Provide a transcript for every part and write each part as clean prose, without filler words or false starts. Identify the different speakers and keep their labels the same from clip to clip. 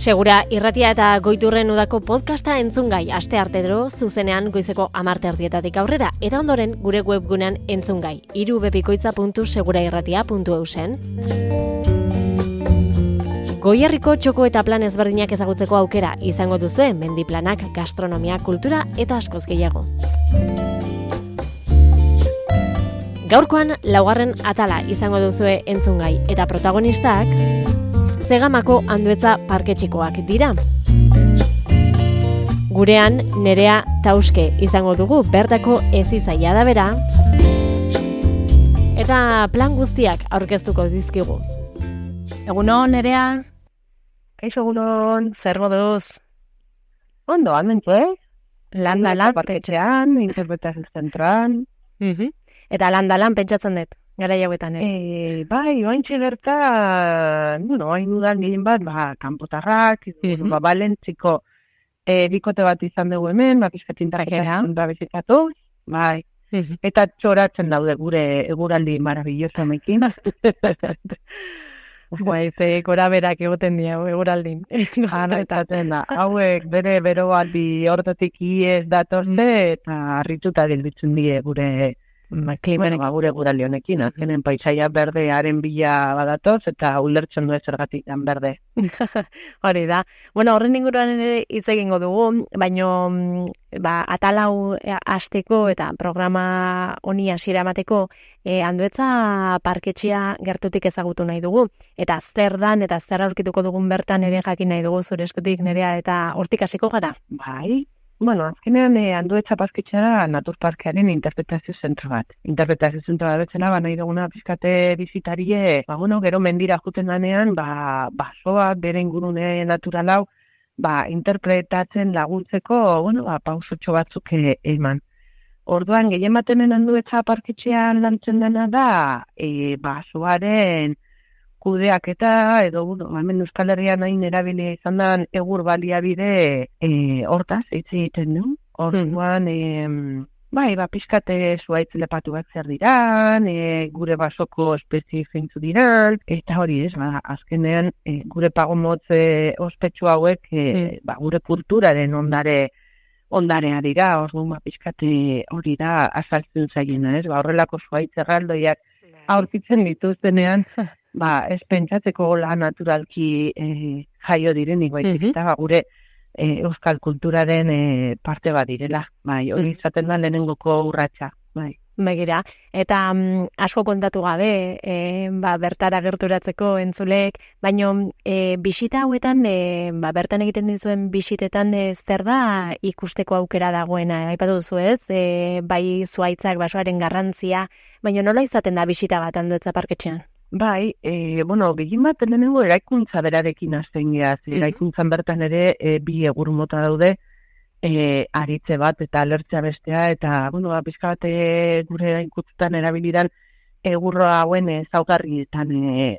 Speaker 1: Segura irratia eta Goiturren udako podcasta entzungai asteartero zuzenean goizeko 10:00 aurrera eta ondoren gure webgunean entzungai irubepikoitza.segurairratia.eusen. Goierriko txoko eta plan ezberdinak ezagutzeko aukera izango duzue mendiplanak, gastronomia, kultura eta askoz gehiago. Gaurkoan laugarren atala izango duzue entzungai eta protagonistak Zegamako Anduetza parketxikoak dira. Gurean Nerea Tauske izango dugu bertako ezitzaia da bera eta plan guztiak aurkeztuko dizkigu.
Speaker 2: Egunon, Nerea.
Speaker 3: Kaixo egunon.
Speaker 2: Zer moduz?
Speaker 3: Ondo, almentu,
Speaker 2: Landalan,
Speaker 3: parketxean, interpretazio zentran.
Speaker 2: Eta landalan pentsatzen dut, gara jauetan,
Speaker 3: Bai, oaintxe gertan, hain dudan gehien bat, kanpotarrak, Balentziko bikote bat izan dugu hemen, pixkatin tarketa bizitatu, bai. Eta txoratzen daude gure eguraldi marabilloso mekin.
Speaker 2: Gora berak egoten dira eguraldin.
Speaker 3: Harretatzen da, hauek bere beroaldi hortatik iez datorze eta harrituta gelditzen die gure gure eguraldi honekin. Azkenen paisaia berdearen bila badatoz eta ulertzen du zergatik dan berde.
Speaker 2: Hori da. Bueno, horren inguruan ere hitz egingo dugu, baino atalau hasteko eta programa honi hasiera emateko Anduetza parketxea gertutik ezagutu nahi dugu. Eta zer dan eta zer aurkituko dugun bertan ere jakin nahi dugu zure eskutik, Nerea, eta hortik hasiko gara.
Speaker 3: Bai. Bueno, azkenean Anduetza parketxea da naturparkearen interpretazio zentro bat. Interpretazio zentro bat betzela, nahi duguna pixkate bizitarie, gero mendira juten danean, basoak bere ingurune natural hau, interpretatzen laguntzeko, pausotxo batzuk eman. Orduan, gehien baten Anduetza parketxean lantzen dena da, basoaren kudeaketa edo, hemen Euskal Herrian hain erabilia izan da egur baliabide hortaz, hitz egiten du. Orduan, pixkate zuaitz lepatu bat zer diran, gure basoko espezie zeintzu diran, eta hori ez, azkenean gure pagomotz ospetsu hauek gure kulturaren ondarea dira, orduan pixkate hori da azaltzen zaiena, ez, horrelako zuaitz erraldoiak aurkitzen dituztenean, ez pentsatzeko la naturalki jaio direnik baizik eta gure euskal kulturaren parte bat direla. Hori izaten da lehenengoko urratsa.
Speaker 2: Begira, eta asko kontatu gabe, bertara gerturatzeko entzulek, baino bisita hauetan, bertan egiten dizuen bisitetan zer da ikusteko aukera dagoena, aipatu duzu ez, bai zuaitzak basoaren garrantzia, baino nola izaten da bisita bat Anduetza parketxean?
Speaker 3: Bai, gehien bat lehenengo eraikuntza berarekin hasten geaz. Eraikuntzan bertan ere bi egur mota daude, aritze bat eta alertzea bestea, eta, pixka bat gure eraikuntzetan erabilidan egurro hauen ezaugarrietan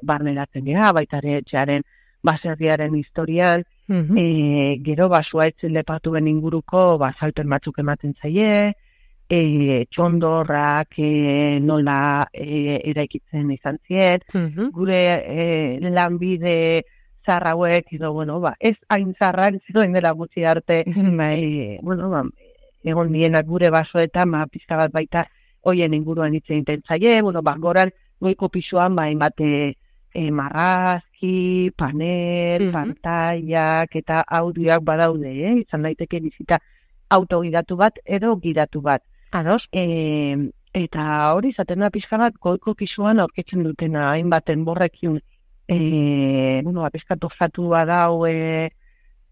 Speaker 3: barneratzen geha, baita ere etxearen baserriaren historian, gero zuaitzen lepatuen inguruko salpen batzuk ematen zaie, txondorrak nola eraikitzen izan ziet, gure lanbide zarrauek, ez hain zarrak, zuen dela gutxi arte, egon dienak gure basoetan, pizka bat baita hoien inguruan hitz egiten zaie, goran goiko pisuan, bate marrazki, panel, pantailak eta audioak badaude, izan daiteke bizita autogidatu bat edo gidatu bat.
Speaker 2: Ados.
Speaker 3: Eta hori izaten da pixka bat goiko pisuan aurketzen dutena hainbaten borrekin pixka tozatu badau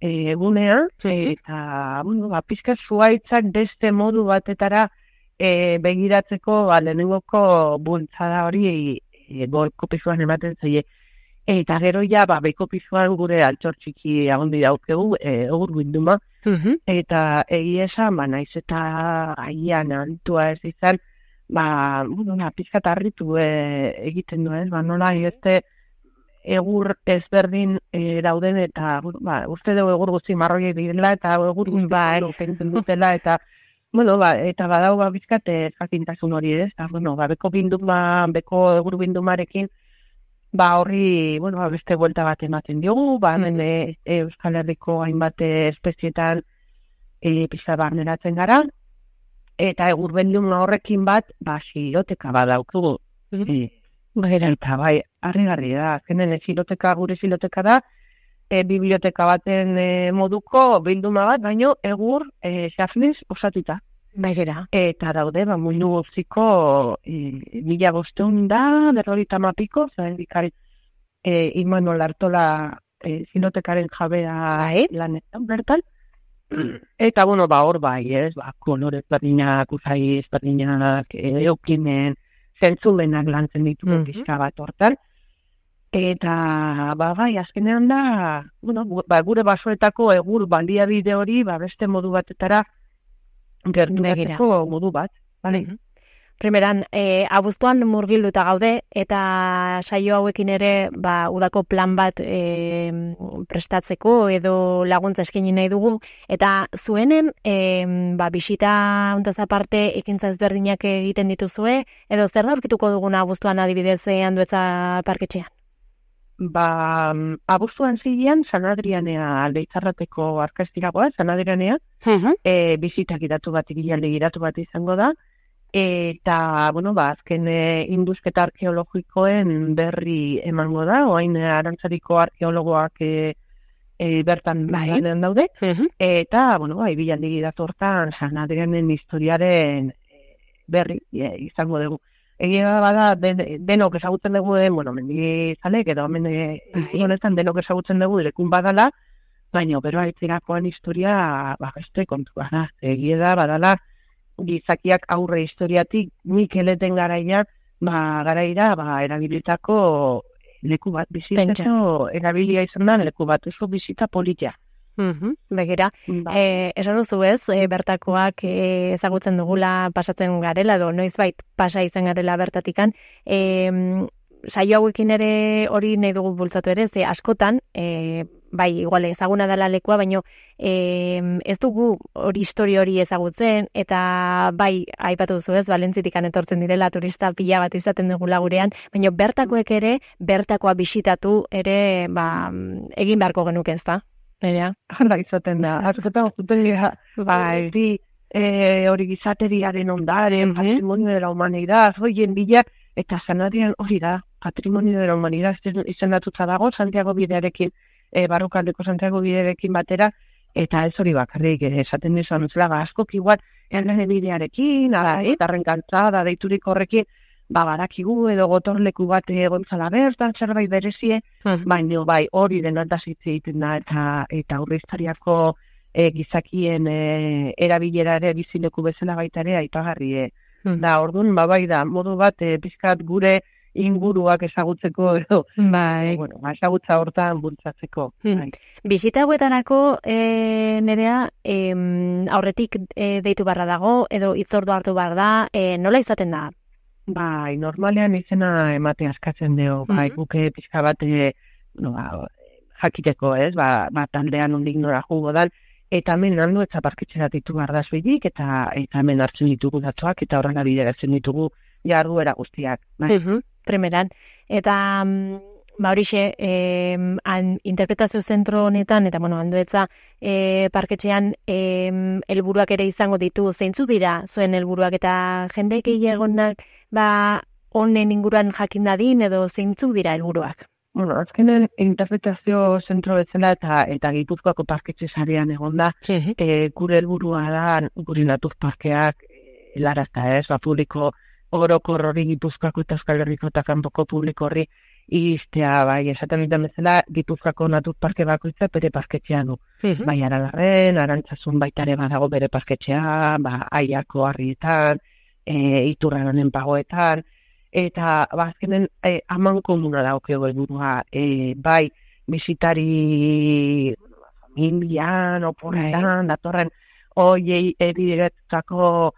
Speaker 3: egunean, eta pixka zuaitzak beste modu batetara begiratzeko lehenengoko bultzada hori goiko pisuan ematen zaie. Eta gero beko pisuan gure altxor txiki agondi daukegu, egur bilduma, eta egia esan, naiz eta aian aritua ez izan, pizkat harritu egiten du ez, nola egite egur ezberdin dauden, eta uste dugu egur guzti marroiek direla, eta egur guzti pentzen dutela, eta eta badau pizkat jakintasun hori ez, beko egur bildumarekin horri, beste buelta bat ematen diogu, hemen Euskal Herriko hainbat espezietan pizka barneratzen gara, eta egurbendun horrekin bat, xiloteka bat daukugu. Eta harrigarri da, azkenen gure xiloteka da, biblioteka baten moduko bilduma bat, baino egur xafnez osatuta.
Speaker 2: Baigera.
Speaker 3: Eta daude, mundu guztiko 1500 da, 50 zaren dikari Immanuel Artola xilotekaren jabea lanetan bertan. Eta, hor kolore ezberdinak, usai ezberdinak, eukinen, zentzulenak lantzen ditugu pizka bat hortan. Eta, azkenean da, gure basoetako egur baliabide hori, beste modu batetara gerturatzeko modu bat.
Speaker 2: Primeran, abuztuan murgilduta gaude, eta saio hauekin ere, udako plan bat prestatzeko edo laguntza eskaini nahi dugu, eta zuenen, bisita hontaz aparte ekintza ezberdinak egiten dituzue, edo zer aurkituko duguna abuztuan adibidez Andueza parketxean?
Speaker 3: Abuztuan zilean, San Adrianea Leitzarrateko arkastiragoa, San Adrianea, bizitak iratu bat izango da, eta, azken indusketa arkeologikoen berri emango da, oain Arantzadiko arkeologoak bertan lanean daude, eta, bilaldi datortan San Adrianen historiaren berri izango dugu. Egia bada, denok ezagutzen dugu, mendizalek, edo honetan denok ezagutzen dugu direkun badala, baina bero aitzerakoan historia beste kontua da. Egia da, badala, gizakiak aurre historiatik Mikeleten garaira, erabilitako leku bat bizitako, erabilia izan da leku bat, ez bizita politia.
Speaker 2: Begira, esan duzu ez, bertakoak ezagutzen dugula pasatzen garela, edo noizbait pasa izan garela bertatikan, saio hauekin ere hori nahi dugu bultzatu ere, ze askotan, igual ezaguna dela lekua, baino ez dugu hori historia hori ezagutzen, eta aipatu duzu ez, Valentzitikan etortzen direla turista pila bat izaten dugula gurean, baino bertakoek ere, bertakoa bisitatu ere, egin beharko genuke ez da?
Speaker 3: Hala izaten da, hartzetan hori gizateriaren ondaren, patrimonio de la humanidad, hoien bila, eta zanadian hori da, patrimonio de la humanidad izendatuta dago, Santiago bidearekin, barrukaldeko Santiago bidearekin batera, eta ez hori bakarrik, esaten dizan uzlaga askok igual, erlene bidearekin, arren kantzada, deiturik horrekin, barakigu edo gotorleku bat gontzala bertan, zerbait berezie, baina hori denataz hitz egiten da, eta aurre historiako gizakien erabilera ere bizileku bezala baita ere aipagarri. Da, orduan, da, modu bat pixkat gure inguruak ezagutzeko edo, ezagutza hortan bultzatzeko.
Speaker 2: Bizita hauetarako, Nerea, aurretik deitu barra dago, edo hitzordu hartu behar da, nola izaten da?
Speaker 3: Normalean izena emate askatzen dugu, guke pixka bat jakiteko, ez, taldean ondik nora jugo dan, eta hemen Andueza parketxera ditu behar da zuidik, eta hemen hartzen ditugu datuak, eta horrela bideratzen ditugu jarduera guztiak.
Speaker 2: Primeran, eta horixe, interpretazio zentro honetan, eta Andueza parketxean helburuak ere izango ditu, zeintzu dira zuen helburuak, eta jende gehiagonak honen inguruan jakin dadin, edo zeintzu dira helburuak?
Speaker 3: Azkenen interpretazio zentro bezala eta Gipuzkoako parketxe sarean egon da, gure helburua da, gure natuz parkeak helarazta ez, publiko orokor hori Gipuzkoako eta Euskal Herriko eta kanpoko publiko hori iztea, esaten duten bezala, Gipuzkoako natuz parke bakoitza bere parketxean du. Aralarren, Arantzazun baitare badago bere parketxea, Aiako harrietan, Iturraronen pagoetan, eta azkenen aman komuna daukego helburua, bisitari familian, oporretan, datorren, hoiei bideretutako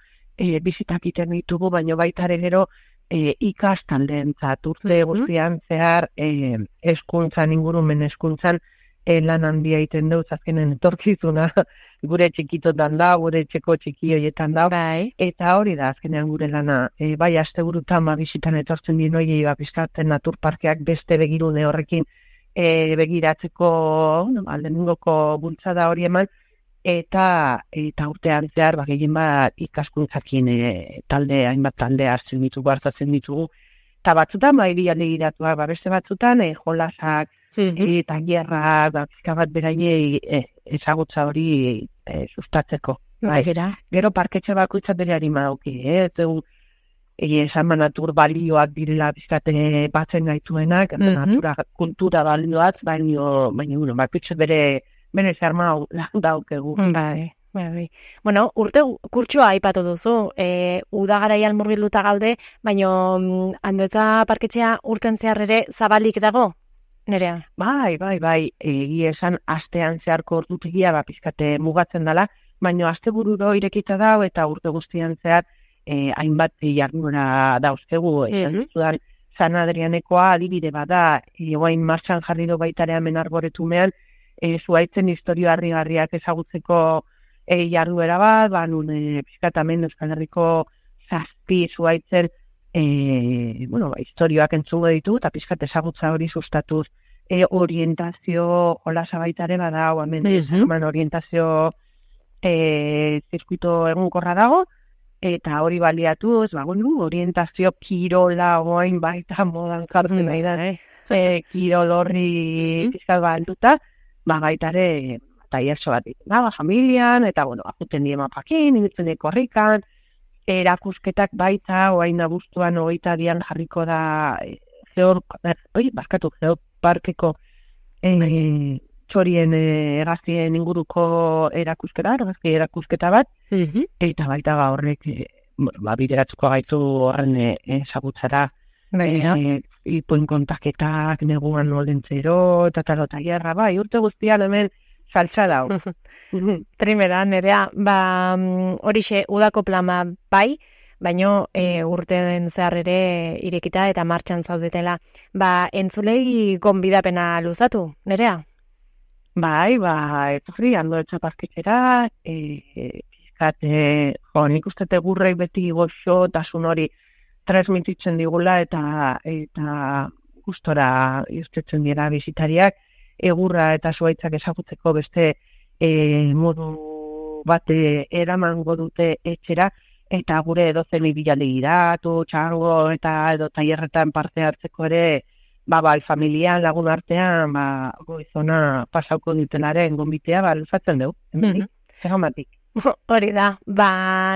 Speaker 3: bizitak iten ditugu, baina baitare gero ikastaldeentzat urte guztian zehar eskuntzan, ingurumen eskuntzan, lan handia iten dut, azkenen etorkizuna gure txikitotan da, gure etxeko txiki horietan da,
Speaker 2: Bai.
Speaker 3: eta hori da azkenean gure lana. Bai, asteburutan bisitan etortzen dien hori pizkatzen naturparkeak beste begirune horrekin begiratzeko, aldenungoko bultzada hori eman, eta urtean zehar, gehien bat ikaskuntzakin hainbat talde hartzen ditugu, hartzatzen ditugu, eta batzutan, irialde giratuak, beste batzutan, jolasak, eta gierrak, pizka bat beraiei ezagutza hori sustatzeko. Gero parketxe bakoitzat bere harima dauki, ez dugu, esan natur balioak direla bizkate batzen gaituenak, natura kultura balioaz, baina bakoitzat bere zerma daukegu.
Speaker 2: Bai. Bueno, urte kurtsoa aipatu duzu, udagaraian murgilduta gaude, baina Andoetza parketxea urten zehar ere zabalik dago, Nerea?
Speaker 3: Bai, egia esan astean zeharko ordutegia pizkate mugatzen dela, baina astebururo irekita dago eta urte guztian zehar hainbat jarduera dauzkegu, zudan San Adrianekoa adibide bada, oain martxan jarri do baitare hemen arboretumean, zuaitzen historio harrigarriak ezagutzeko jarduera bat, nun pizkatamen Euskal Herriko 7 zuaitzen historioak entzungo ditu, eta pizkat ezagutza hori sustatuz orientazio jolasa baitare bada, hemen orientazio zirkuito egunkorra dago, eta hori baliatuz, orientazio kirola oain baita modan kartzen nahi da, kirol horri pizkat balduta, baitare taierso bat familian, eta ajuten die mapakin, initzen die korrikan, erakusketak baita, oain abuztuan 22an jarriko da geoparkeko txorien hegaztien inguruko erakusketa bat, eta baita horrek bideratzuko gaitu horren ezagutzara, ipuin kontaketak, neguan nolentzero, eta gerra, urte guztian hemen saltza dau.
Speaker 2: Trimera, Nerea, horixe udako plama bai, baino urten zehar ere irekita eta martxan zaudetela. Entzulei gonbidapena luzatu, Nerea?
Speaker 3: Bai, etorri Andoetza parketxera, nik uste gurrei beti goxo tasun hori transmititzen digula eta gustora irtetzen dira bisitariak, egurra eta zuaitzak ezagutzeko beste modu bate eramango dute etxera, eta gure edozen ibilalde giratu, txango eta edo tailerretan parte hartzeko ere, familian, lagun artean, goizona pasauko ditenaren gonbitea, luzatzen dugu, egamatik.
Speaker 2: Hori da,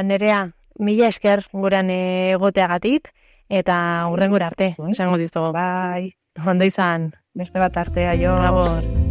Speaker 2: Nerea, mila esker guran egoteagatik, eta hurrengura arte, esango dizugu.
Speaker 3: Bai.
Speaker 2: Ondo izan.
Speaker 3: Beste bat artea, jo.
Speaker 2: Labor.